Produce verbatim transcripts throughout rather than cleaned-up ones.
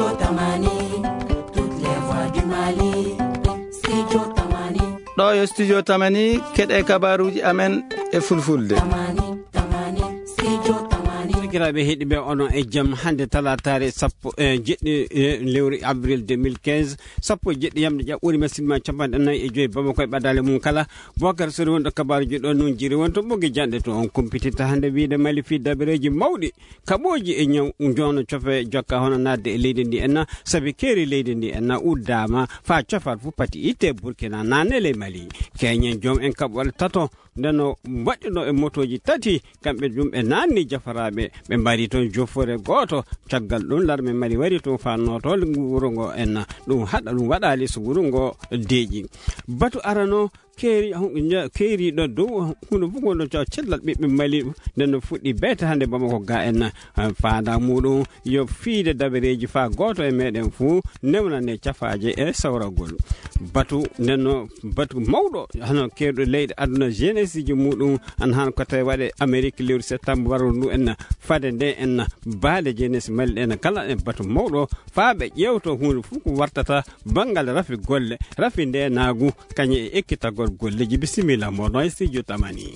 Tamani, toutes les voix du Mali. Studio Tamani. Ɗo yo Studio Tamani, keɗe kabaruuji amen e fulfulde. Tamani, Tamani, Studio Tamani. Sakiraaɓe heɗiɓe, onon e jam. Hannde talaataare sappo e jeɗɗi, e lewru avril deux mille quinze, sappo e jeɗɗi yamɗe ƴaɓɓuuri, masinma capanɗe nayi e joyi, Bamako e ɓadaale mum kala. Bokar Sori wonɗo kabaruuji ɗo nun jiri won to ɓoggi janɗe to on kumpititta hannde wiide Mali fii dabareeji mawɗi. Kaɓooji e ñaw, joono cofe jokka hono naatde e leydi ndi enna, sabi keeri leydi ndi enna uddaama faa cofal fu pati itte Burkina naane ley Mali. Keñen joom en kaɓɓoole tato, nden no waɗɗuno e motooji tati, kamɓe ɗum ɓe naanni jafaraaɓe, ɓe mbari toon jofore gooto. Caggal ɗum, larme Mali wari toon faa nooto ngu wuro ngo enna, ɗum haɗa ɗum waɗaali so wuro ngo deeƴi. Batu arano, keeri, hu-, nya-, keeriiɗo dow huunde fof wonno caw cellal ɓiɓɓe Mali, nden no fuɗɗi beete hannde Bamako ga en, eh, faanda muɗum yo fiide dabareeji faa gooto e meɗen fuu newnane cafaaje e sawragol. Batu nden no batu mawɗo, hano keerɗo leyɗe aduna jeunesse ji muɗum, an han ko tawi waɗe Amérique lewru septembre warro ndu en, fade nde en baale jeunesse Mali ɗen kala e batu mawɗo faa ɓe ƴeewto huunde fof ko wartata banngal rafi golle, rafi ndeenaagu, kañum e ekkitagol golleeji. Bisimilla mo ɗo e studio Tamani.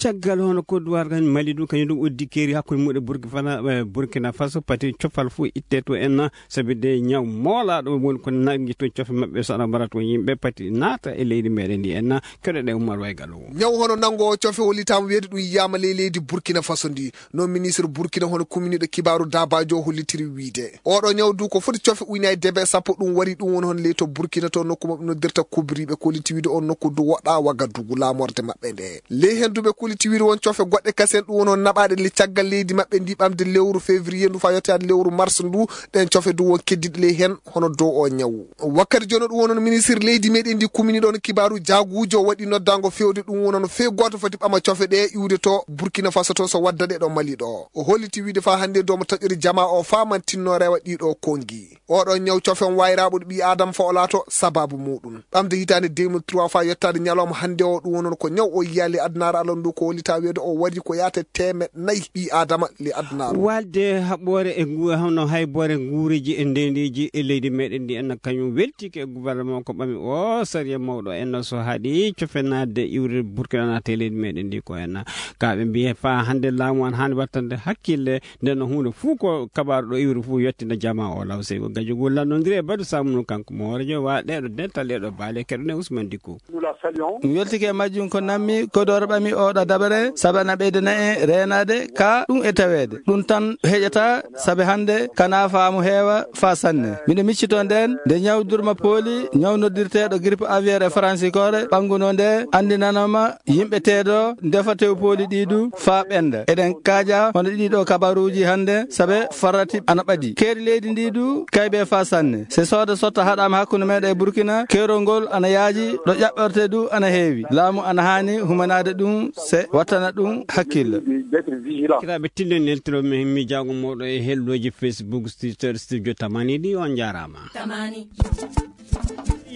Caggal hono kodduwar kan Mali ɗum, kañum ɗum uddi keeri hakkunde muɗum e Burkina, eh, Burkina Faso, pati cofal fof itte to en, sabi de ñaw moolaaɗo woni ko nangi toon cofe maɓɓe so aɗa mbara toon yimɓe pati naata e leydi meɗen ndi en, keɗoɗen Oumar Waygal o. Ñaw hono nango cofe hollitaama weedu ɗum yiyaama ley leydi Burkina Faso ndi. No ministre Burkina hono kuminiiɗo kibaaru Dabajo hollitiri wiide, oɗo ñaw du ko foti cofe ujunaaji debe sappo, ɗum wari ɗum woni hono ley to Burkina to nokku maɓɓe noddirta kubriiɓe, kolliti wiide on nokku du woɗɗa Wagadugu laamorde maɓɓe nde. Ley hen du ɓe kolliti wiide won cofe goɗɗe kasen ɗum woni hono naɓaaɗe le caggal leydi maɓɓe ndi ɓamde lewru février ndu faa yottaade lewru mars ndu, ɗen cofe du won keddiɗe ley hen hono dow o ñaw. Wakkati jooni ɗum woni ministre leydi meɗen ndi kumini ɗon kibaaru jaaguujo waɗi noddaango fewde ɗum woni hono fee gooto foti ɓama cofe ɗe iwde to Burkina Faso to so wadda ɗe ɗo Mali ɗo. O holliti wiide faa hannde domo taƴori jama o faamantinno rewa ɗiɗo kongi. Oɗo ñaw cofe on wayraaɓo ɗo ɓii Aadama faa o laato sababu muɗum. Ɓamde hitaande deux mille trois faa yottaade ñalawma hannde o ɗum woni hono ko ñaw o yiyaali adunaaru Allah ndu ko hollita weedo o wari ko yaata teemeɗɗe nayi ɓii Aadama le adunaaru. Walde haɓɓoore e ngu-, hono hayboore nguureeji e ndeendeeji e leydi meɗen ndi, en kañum weltike e gouvernement ko ɓami o sariya mawɗo en so haɗi cofe naatde iwde Burkina naata e leydi meɗen ndi ko en. Ka ɓe mbiye faa hannde laamu an haani wattande hakkille, nden no huunde fuu ko kabaaru ɗo iwri fuu yettina jama o law sey ko gajugol lannondiri e Badu Samunu kanko mo hoorejo wa ɗeɗo dental ɗeɗo baale keɗone Ousmane Dikko. Nous la saluons. Mi weltike e majjum ko nammi ko doro ɓami oɗo dabare sabu ana ɓeydana en reenaade ka ɗum e taweede. Ɗum tan heƴata sabu hannde kana faamu heewa faa sanne. Miɗo miccito nden nde ñaw durma pooli, ñaw noddirteeɗo grippe aviaire e faransi koore, ɓannguno nde anndinanoma yimɓe teedo ndefa tew pooli ɗi du faa ɓenda. Eɗen kaaja hono ɗiɗo kabaruuji hannde sabe farrati ana ɓadi. Keeri leydi ndi du kaybe faa sanne. Se sooda sotta haɗaama hakkunde meɗen e Burkina, keerol ngol ana yaaji, ɗo ƴaɓɓorte du ana heewi. Laamu ana haani humanaade ɗum se wattana ɗum hakkille. Kiraaɓe tillen neltiro mi, mi jaago moɗo e helloji Facebook, Twitter, Studio Tamani ɗi, on jaaraama. Tamani.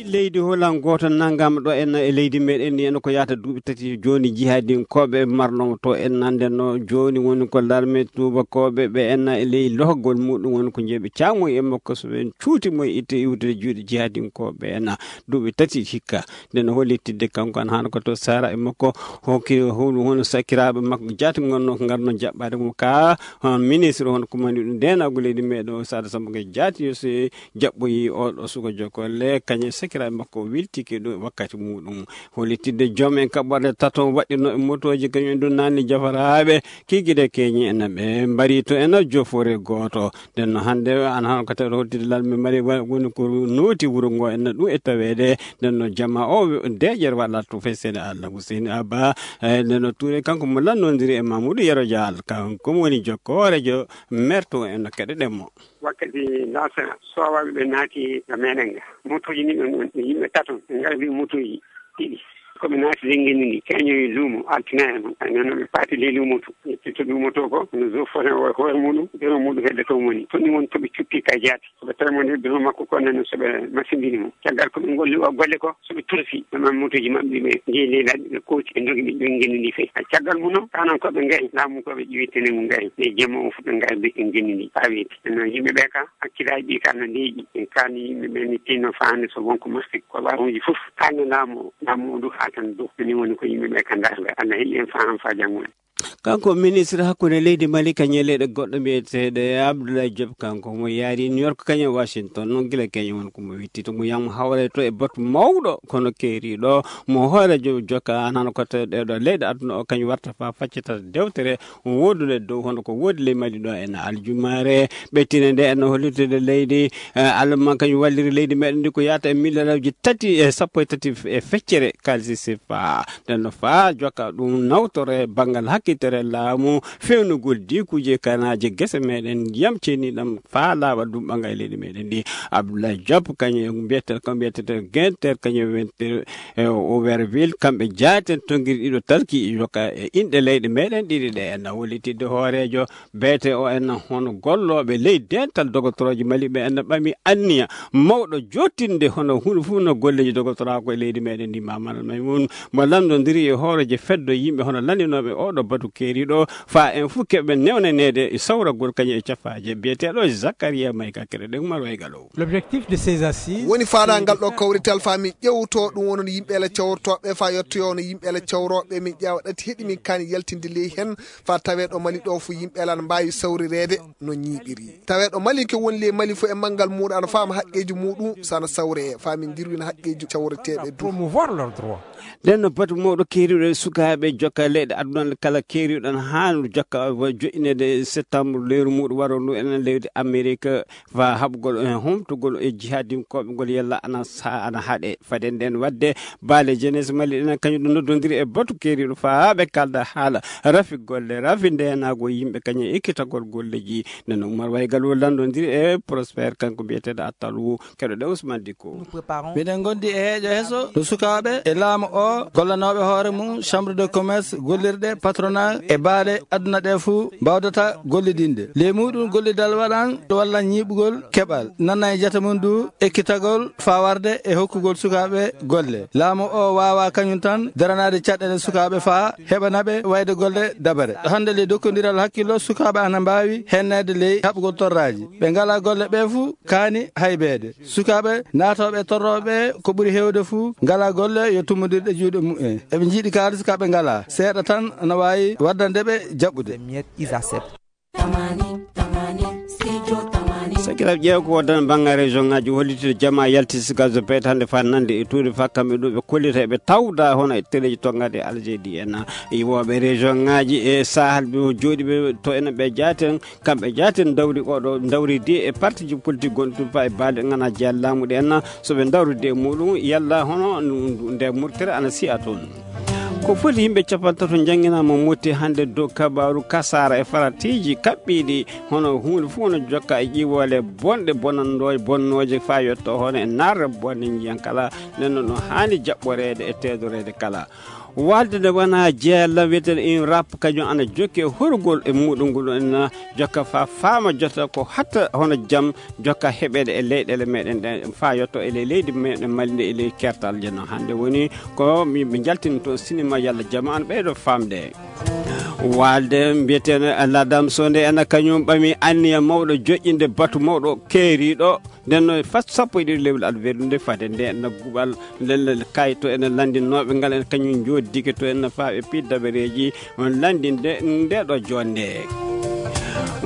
Leydi Holan gooto nanngama ɗo en e leydi meɗen ndi en ko yahata duuɓi tati jooni jihadinkooɓe marnoo to en nande no jooni woni ko larme tuubakooɓe ɓe en e ley lohgol muɗum woni ko jeeɓe caamu e makko so ɓen cuuti mo e itte iwtude juuɗe jihadinkooɓe en duuɓi tati hikka. Nden o hollitidde kanko an hano ko to Sara e makko hokki hulu hono sakiraaɓe makko jaati ngonno ko ngarno jaɓɓaade mo ka, hon ministre hon kumani ɗum ndenago leydi meɗen o Sada Samba ko jaati yo se jaɓɓoyi oɗo suka jokolle kañe sakiraaɓe makko wiltike ɗo wakkati muɗum. Hollitidde joom en kaɓɓorde taton waɗɗino e motooji kañum en ɗum nanni jafaraaɓe kigide keñi en ɓe mbari to en jofore gooto. Nden no hannde an han ko tawi hoddide lal mi mari wa-, woni ko nooti wuro ngo en ɗum e taweede. Nden no jama o deeƴere waɗa to fay seeɗa Allah Hussein Abba. Eh, nden no Touré kanko mo lannondiri e Mamoudou Yero Dial, kanko mo woni jokkoorejo merto en no keɗe ɗemmo. Wakkati nasa sowaɓe ɓe naati e meɗen ga. Motoji ni ɗon, ɗon yimɓe taton, ɓe ngardi motoji ɗiɗi. Ko ɓe naati ley ngenndi ndi, keñoyi luumo, altine en. Ay, noon ɓe paati ley luumo to. Ƴetti to luumo to ko, no zo fone o e hoore muɗum, biro muɗum hedde to woni. To ni woni to ɓe cukki ka jaati. Ko ɓe tawi mo nder biro makko ko, nden so ɓe masindini mo. Caggal ko ɓe ngolli o golle ko, so ɓe tursi, ɓe mammutooji maɓɓe, ɓe njeyi ley laaɗe, ɓe kooti, ɓe ndogi, ɓe ƴogi ngenndi ndi fey. Hay caggal mum noon, kanan ko ɓe ngayi, laamu ko ɓe ƴeewi tene mum ngayi. Ɓe jemma o fof ɓe ngayi, ɓe ngenndi ndi faa weeti. Nden noon yimɓe ɓe ka, hakkillaaji ɗi ka no ndeeƴi. En kaani yimɓe ɓe ni tinno faande so wonko mofti ko laamuuji fof. Kaani laamu o, laamu o du haa tan dow. Ni woni ko yimɓe ɓe ka ndaarnda. Allah heɓi en faham faa janngo en. Kanko ministre hakkunde leydi Mali ka ñaleeɗe goɗɗo mbiyeteeɗo Abdoulaye Diop, kanko mo yaari New York kañum Washington, noon gila keñum won ko mo witti to mo yam hawre to e batu mawɗo kono keeriiɗo mo hooreejo jokka an hano ko to ɗeɗo leyɗe aduna o kañum warta fa faccata dewtere wodude dow hono ko woodi ley Mali ɗo en aljumaare ɓettine nde en hollitude leydi, eh, Allemagne kañum walliri leydi meɗen ndi ko yaata e milliardji tati e sappo e tati e feccere kalisi sefa. Nden no faa jokka ɗum nawtore banngal hakkitere laamu fewnugol dikuuje kanaaje gese meɗen ndiyam ceniɗam faa laaɓa ɗum ɓanga e leydi meɗen ndi. Abdoulaye Diop kañum mbiyete, ko mbiyetete Genter kañum wente, eh, Auberville, kamɓe jaaten tongiri ɗiɗo talki jokka e inɗe leyɗe meɗen ɗiɗi ɗe en wallitidde hooreejo beete o en hono gollooɓe ley dental dogotorooji Mali ɓe en ɓami anniya mawɗo jottinde hono huunde fof no golleeji dogotoraa ko e leydi meɗen ndi. Mamadou Maymoun mo lanndondiri e hooreejo feddo yimɓe hono lanndinooɓe oɗo batu keeriiɗo faa en fof keɓe newnaneede e sawragol kañum e cafaaje biyeteeɗo Zakaria Mayka Kere ɗe Umar Waygalo. L'objectif de ces assises, woni faandaangal ɗo kawrital faa min ƴewto ɗum wonon yimɓe ele cawrotooɓe faa yettoyo no yimɓe ele cawrooɓe min ƴeewa ɗati heɗi min kaani yaltinde ley heen faa tawee ɗo Mali ɗo fof yimɓe ele ana mbaawi sawrireede no ñiiɓiri. Tawee ɗo Mali ke woni ley Mali fof e manngal muuɗum ana faama haqqeeji muuɗum so ana sawree faa min njirwina haqqeeji cawreteeɓe du. Promouvoir leurs droits. Nden no batu mawɗo keeriiɗo e sukaaɓe jokka leyɗe aduna kala keeriiɗo ana haani jokka joƴƴineede septembre lewru muuɗum waro ndu enen leydi Amerique faa haɓugol e humtugol e jihadinkooɓe ngol yalla ana sa-, ana haɗe. Fade nden waɗde baale jeunesse Mali ɗen kañum ɗum noddondiri e batu keeriiɗo faa ɓe kalda haala rafi golle, rafi ndeenaago yimɓe kañum e ekkitagol golleeji. Nden Umar Waygal o lanndondiri e Prosper kanko mbiyeteeɗo Attalu keɗoɗe Ousmane Dicko. Miɗen ngondi e heeƴo heso no sukaaɓe e laamu o gollanooɓe hoore mum chambre de commerce gollirɗe patronat e baale aduna ɗe fuu mbawdata gollidinde. Ley muɗum gollidal waɗan walla ñiiɓugol keɓal nanna e jata mum du ekkitagol faa warde e hokkugol sukaaɓe golle. Laamu o waawa kañum tan daranaade caɗeele sukaaɓe faa heɓanaɓe wayde golle dabare. Hannde ley dokkondiral hakkillo sukaaɓe ana mbaawi henneede ley haɓugol torraaji. Ɓe ngalaa golle ɓe fuu kaani haybeede. Sukaaɓe naatooɓe torrooɓe ko ɓuri heewde fuu ngalaa golle yo tummbondirɗe juuɗe mumen. Eɓe njiɗi kaalis ka ɓe ngalaa. Seeɗa tan ana waawi waddande ɓe jaɓɓude. Sakiraaɓe, ƴeew ko woodani banngal région ngaji hollitde jama yalti sigazo beet hannde faa nande e tuude faa kamɓe ɗo ɓe kollita eɓe tawda hono e teleji tongaaɗe Algérie en iwooɓe région ngaji e Sahel ɓe jooɗiɓe to enen ɓe jaaten. Kamɓe jaaten dawri oɗo dawridi e partiji politique gonɗi tun faa e baale ngana jeya laamu ɗe en so ɓe dawridi e muɗum yalla hono nde murtere ana siya toon. Ko foti yimɓe capantato jannginama motti hannde dow kabaaru kasaara e faratiiji kaɓɓiiɗi hono huunde fof no jokka e ƴiwoole bonɗe bonanndooje bonnooje faa yotto hono e narre bonde njiyan kala nden no haani jaɓɓoreede e teedoreede kala. Walde nde wona jeella wiyeten in rap kañum ana jokki e horugol e muɗum ngol en jokka fa faama jota ko hatta hono jam jokka heɓeede e leyɗeele meɗen ɗen fa yotto e ley leydi meɗen Mali nde e ley kertal jenno hannde woni ko mi ɓe jaltini toon sinima yalla jama an ɓeyɗo famde. Walde mbiyeteeno ladam so nde ena kañum ɓami anniya mawɗo joƴƴinde batu mawɗo keeriiɗo. Nden noon fat sappo e ɗiɗi lewle aɗa weɗunde fade nde nagguɓal lelle kayto ene lanndinooɓe ngal en kañum njoddike to en faa ɓe piid dabareeji on lanndinde nde ɗo joonde.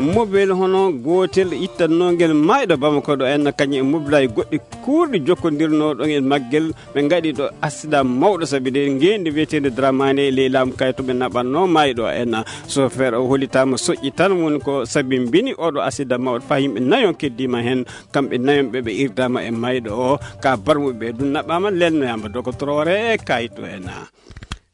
Mobel hono gootel ittannoo ngel maayɗo Bamako ɗo en kañum e mobilaaji goɗɗi kuurɗi jokkondirnoo ɗon e maggel ɓe ngaɗi ɗo accident mawɗo sabi nde ngeendi wiyeteende Dramane e ley laamu kayto ɓe naɓannoo maayɗo en. Chauffeur o hollitaama soƴƴi tan woni ko sabi mbini oɗo accident mawɗo faa yimɓe nayon keddiima heen. Kamɓe nayon ɓe ɓe irdaama e mayɗo o ka barmuɓe ɓe ɗum naɓaama lelnoyaama dogotoroore e kayito en.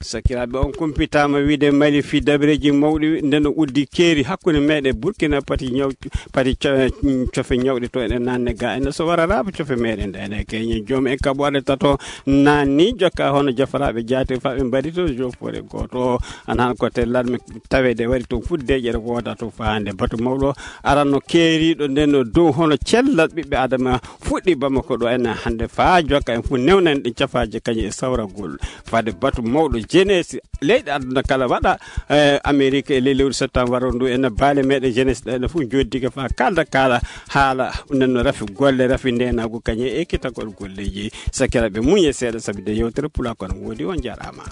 Sakiraaɓe, on kumpitaama wiide Mali fii dabareeji mawɗi nde no uddi keeri hakkunde meɗen Burkina pati ñaw pati co- cofe ñawɗe to eɗen nanne ga ene so wara raaba cofe meɗen nde ene keñen joom en kaɓoore tato nanni jokka hono jafaraaɓe jaate faɓe mbaɗi to jofore gooto. Ana han ko te larme taweede wari to fuddeeƴere wooda to faande batu mawɗo aranno keeriiɗo nden no dow hono cellal ɓiɓɓe adama fuɗɗi Bamako ɗo ene hannde faa jokka en fof newnan ɗi cafaaji kañum e sawragol. Fade batu mawɗo jeunesse leyɗe aduna kala waɗa, eh, Amérique e ley lewru septembre waro ndu ene baale meɗen jeunesse ɗo ene fof joddike faa kalda kala haala nden no rafi golle rafi ndenagu kañum e ekkitagol golleji. Sakiraɓe muñe seeɗa sabi de yewtere pula kono woodi on jarama.